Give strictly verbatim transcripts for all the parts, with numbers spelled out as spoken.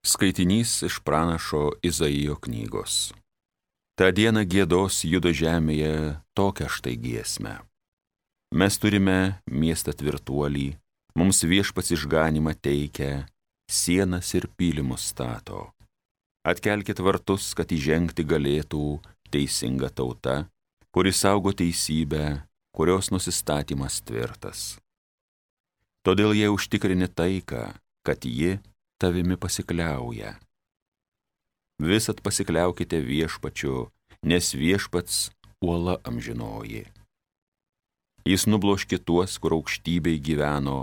Skaitinys iš pranašo Izaijo knygos. Ta diena giedos judo žemėje tokią štai giesmę. Mes turime miestą tvirtuolį, mums viešpats išganymą teikia, sienas ir pylimus stato. Atkelkit vartus, kad įžengti galėtų teisinga tauta, kuri saugo teisybę, kurios nusistatymas tvirtas. Todėl jie užtikrini taiką, kad ji tavimi pasikliauja. Visat pasikliaukite viešpačiu, nes viešpats uola amžinoji. Jis nubloškė tuos, kur aukštybėj gyveno,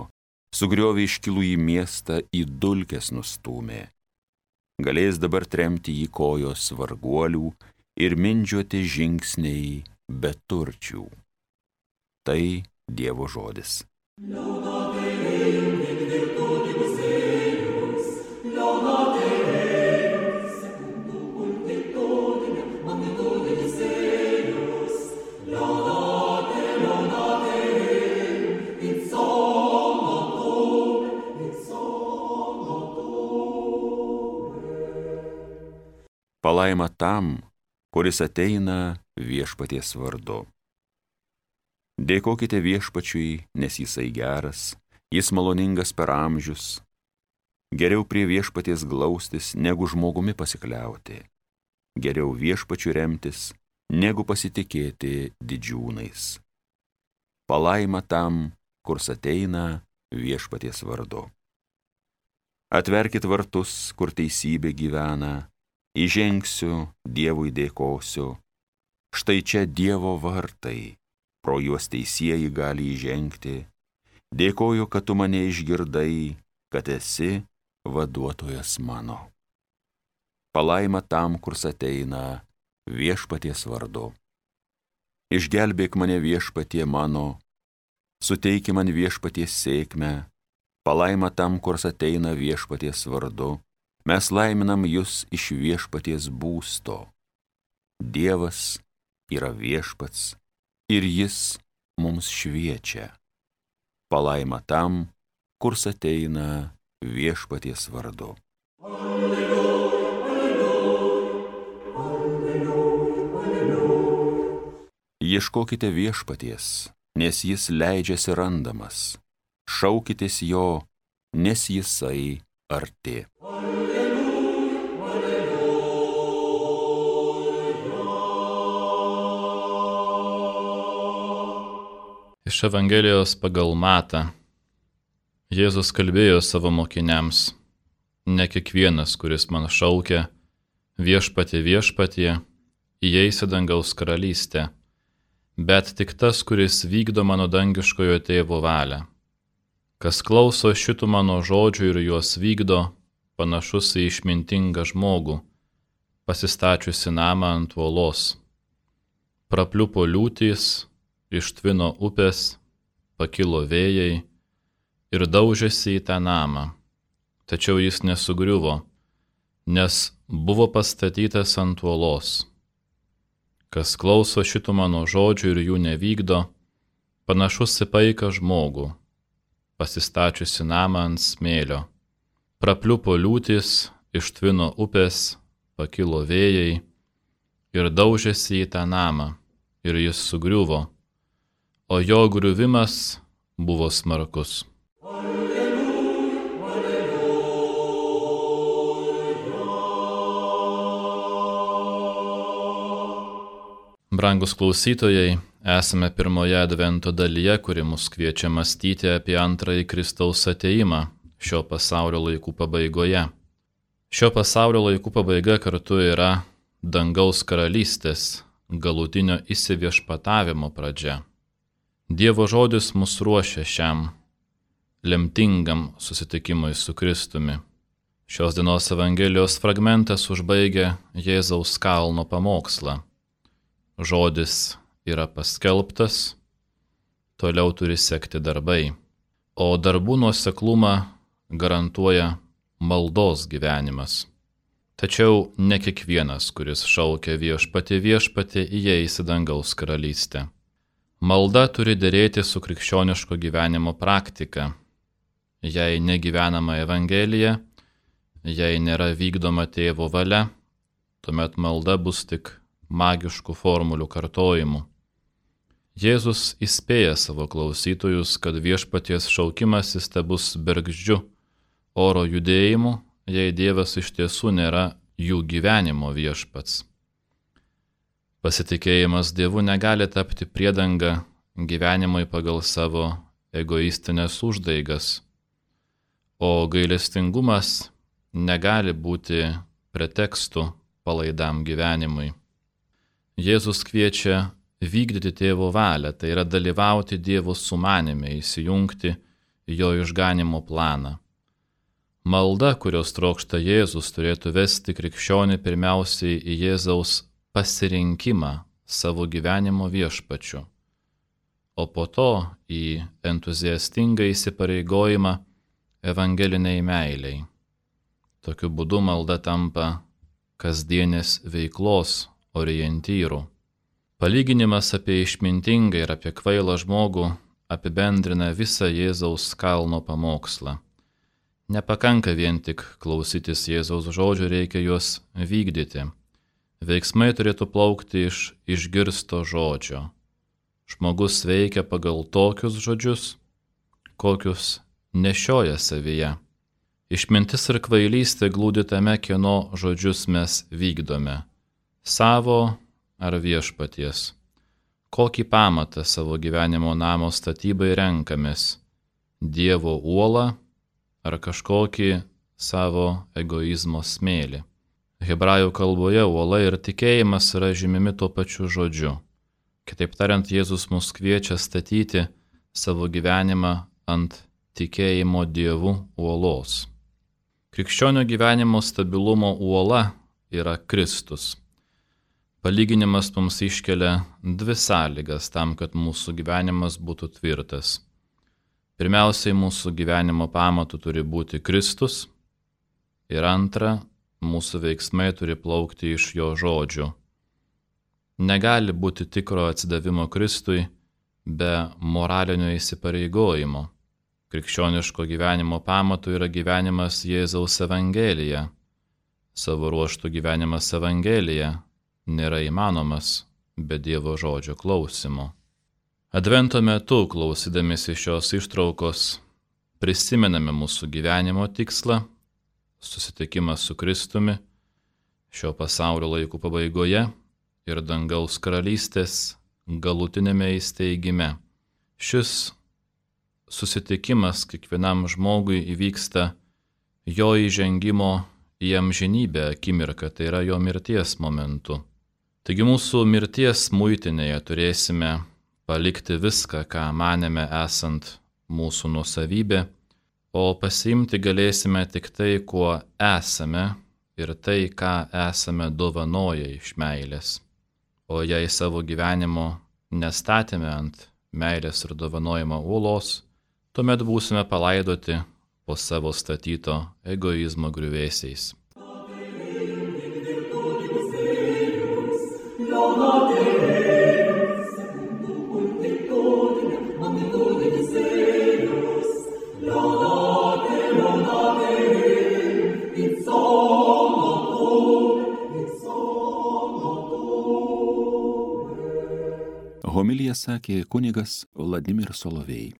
sugriovė iškilų į miestą, į dulkes nustūmė. Galės dabar tremti į kojos varguolių ir mindžiuoti žingsniai beturčių. Tai Dievo žodis. Palaima tam, kuris ateina viešpaties vardu. Dėkokite viešpačiui, nes jisai geras, jis maloningas per amžius. Geriau prie viešpaties glaustis, negu žmogumi pasikliauti. Geriau viešpačiu remtis, negu pasitikėti didžiūnais. Palaima tam, kurs ateina viešpaties vardu. Atverkit vartus, kur teisybė gyvena, įžengsiu, Dievui dėkosiu. Štai čia Dievo vartai, pro juos teisieji gali įžengti. Dėkoju, kad tu mane išgirdai, kad esi vaduotojas mano. Palaima tam, kurs ateina viešpaties vardu. Išgelbėk mane viešpatie mano, suteiki man viešpaties sėkmę. Palaima tam, kurs ateina viešpaties vardu. Mes laiminam jus iš viešpaties būsto. Dievas yra viešpats ir jis mums šviečia. Palaima tam, kurs ateina viešpaties vardu. Alleluja, alleluja, alleluja, alleluja. Ieškokite viešpaties, nes jis leidžiasi randamas. Šaukitės jo, nes jisai arti. Iš Evangelijos pagal Matą. Jėzus kalbėjo savo mokiniams: ne kiekvienas, kuris man šaukia, viešpatie, viešpatie, įeis į dangaus karalystę, bet tik tas, kuris vykdo mano dangiškojo tėvo valią. Kas klauso šitų mano žodžių ir juos vykdo, panašus į išmintingą žmogų, pasistačiusi namą ant uolos. Prapliupo liūtys, ištvino upės, pakilo vėjai ir daužėsi į tą namą. Tačiau jis nesugriuvo, nes buvo pastatytas ant uolos. Kas klauso šitų mano žodžių ir jų nevykdo, panašus į paiką žmogų, pasistačiusi namą ant smėlio. Prapliupo liūtys, ištvino upės, pakilo vėjai ir daužėsi į tą namą, ir jis sugriuvo, o jo griuvimas buvo smarkus. Alleluja, alleluja. Brangus klausytojai, esame pirmoje advento dalyje, kuri mus kviečia mąstyti apie antrąjį Kristaus atėjimą šio pasaulio laikų pabaigoje. Šio pasaulio laikų pabaiga kartu yra dangaus karalystės galutinio įsiviešpatavimo pradžia. Dievo žodis mus ruošia šiam lemtingam susitikimui su Kristumi. Šios dienos Evangelijos fragmentas užbaigia Jėzaus kalno pamokslą. Žodis yra paskelbtas, toliau turi sekti darbai, o darbų nuoseklumą garantuoja maldos gyvenimas. Tačiau ne kiekvienas, kuris šaukia viešpatie, viešpatie, įeis į dangaus karalystę. Malda turi derėti su krikščioniško gyvenimo praktika. Jei negyvenama Evangelija, jei nėra vykdoma tėvo valia, tuomet malda bus tik magiškų formulių kartojimu. Jėzus įspėja savo klausytojus, kad viešpaties šaukimasis tebus bergždžiu oro judėjimu, jei Dievas iš tiesų nėra jų gyvenimo viešpats. Pasitikėjimas Dievu negali tapti priedanga gyvenimui pagal savo egoistinės uždaigas, o gailestingumas negali būti pretekstu palaidam gyvenimui. Jėzus kviečia vykdyti tėvo valią, tai yra dalyvauti Dievo sumanime, įsijungti į jo išganimo planą. Malda, kurios trokšta Jėzus, turėtų vesti krikščionį pirmiausiai į Jėzaus pasirinkimą savo gyvenimo viešpačiu, o po to į entuziastingą įsipareigojimą evangeliniai meiliai. Tokiu būdu malda tampa kasdienės veiklos orientyru. Palyginimas apie išmintingą ir apie kvailą žmogų apibendrina visą Jėzaus kalno pamokslą. Nepakanka vien tik klausytis Jėzaus žodžių, reikia juos vykdyti. Veiksmai turėtų plaukti iš išgirsto žodžio. Žmogus veikia pagal tokius žodžius, kokius nešioja savyje. Išmintis ir kvailystė glūdi tame, kieno žodžius mes vykdome – savo ar viešpaties. Kokį pamatą savo gyvenimo namo statybai renkamės – Dievo uolą ar kažkokį savo egoizmo smėlį. Hebrajų kalboje uola ir tikėjimas yra žymimi tuo pačiu žodžiu. Kitaip tariant, Jėzus mus kviečia statyti savo gyvenimą ant tikėjimo Dievu uolos. Krikščionio gyvenimo stabilumo uola yra Kristus. Palyginimas mums iškelia dvi sąlygas tam, kad mūsų gyvenimas būtų tvirtas. Pirmiausiai, mūsų gyvenimo pamatu turi būti Kristus ir antra, mūsų veiksmai turi plaukti iš jo žodžių. Negali būti tikro atsidavimo Kristui be moralinio įsipareigojimo. Krikščioniško gyvenimo pamatu yra gyvenimas Jėzaus Evangelija. Savo ruožtų gyvenimas Evangelija nėra įmanomas be Dievo žodžio klausimo. Advento metu, klausydamėsi šios ištraukos, prisimename mūsų gyvenimo tikslą, susitikimas su Kristumi šio pasaulio laikų pabaigoje ir dangaus karalystės galutinėme įsteigime. Šis susitikimas kiekvienam žmogui įvyksta jo įžengimo į amžinybę akimirką, tai yra jo mirties momentu. Taigi mūsų mirties muitinėje turėsime palikti viską, ką manėme esant mūsų nuosavybė, o pasiimti galėsime tik tai, kuo esame ir tai, ką esame dovanoję iš meilės. O jei savo gyvenimo nestatėme ant meilės ir dovanojimo uolos, tuomet būsime palaidoti po savo statyto egoizmo griuvėsiais. Homiliją sakė kunigas Vladimir Solovej.